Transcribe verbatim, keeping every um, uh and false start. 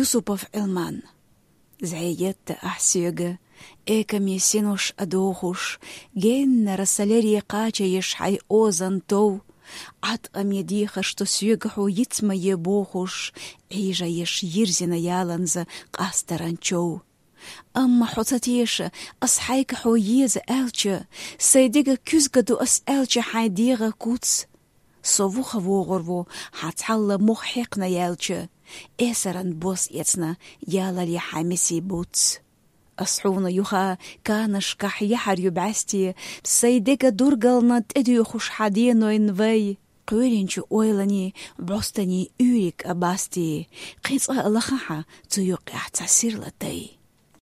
Юсупов Ӏилман. ЗӀе етта ахь соьга, экаме синош а дохуш, геннара са лере кхачаеш хьайн озан тов. Ӏаткъаме дехаш ду соьга хьо йиц ма е бохуш, Ӏийжаеш йирзина яланза къастаран чов. Амма хьо ца теша, ас хьайга хьо еза аьлча, сайн дега куьзга ду ас аьлча хьайн дегӀа куц. Со вуха вогӀур ву, хьан цхьалла мох хьекхна яьлча, эсаран бос эцна ялале хьайн месий буц. Ас хьуна юха канашкахь яхьар ю бӀаьсте, сайн дега дургална тӀедуьйхуш хьан денойн вай. Кхоьринчу ойланийн бӀостанийн уьйриг а басте, кхин цкъа а лаха хьан цу юккъехь цхьа сирла тай.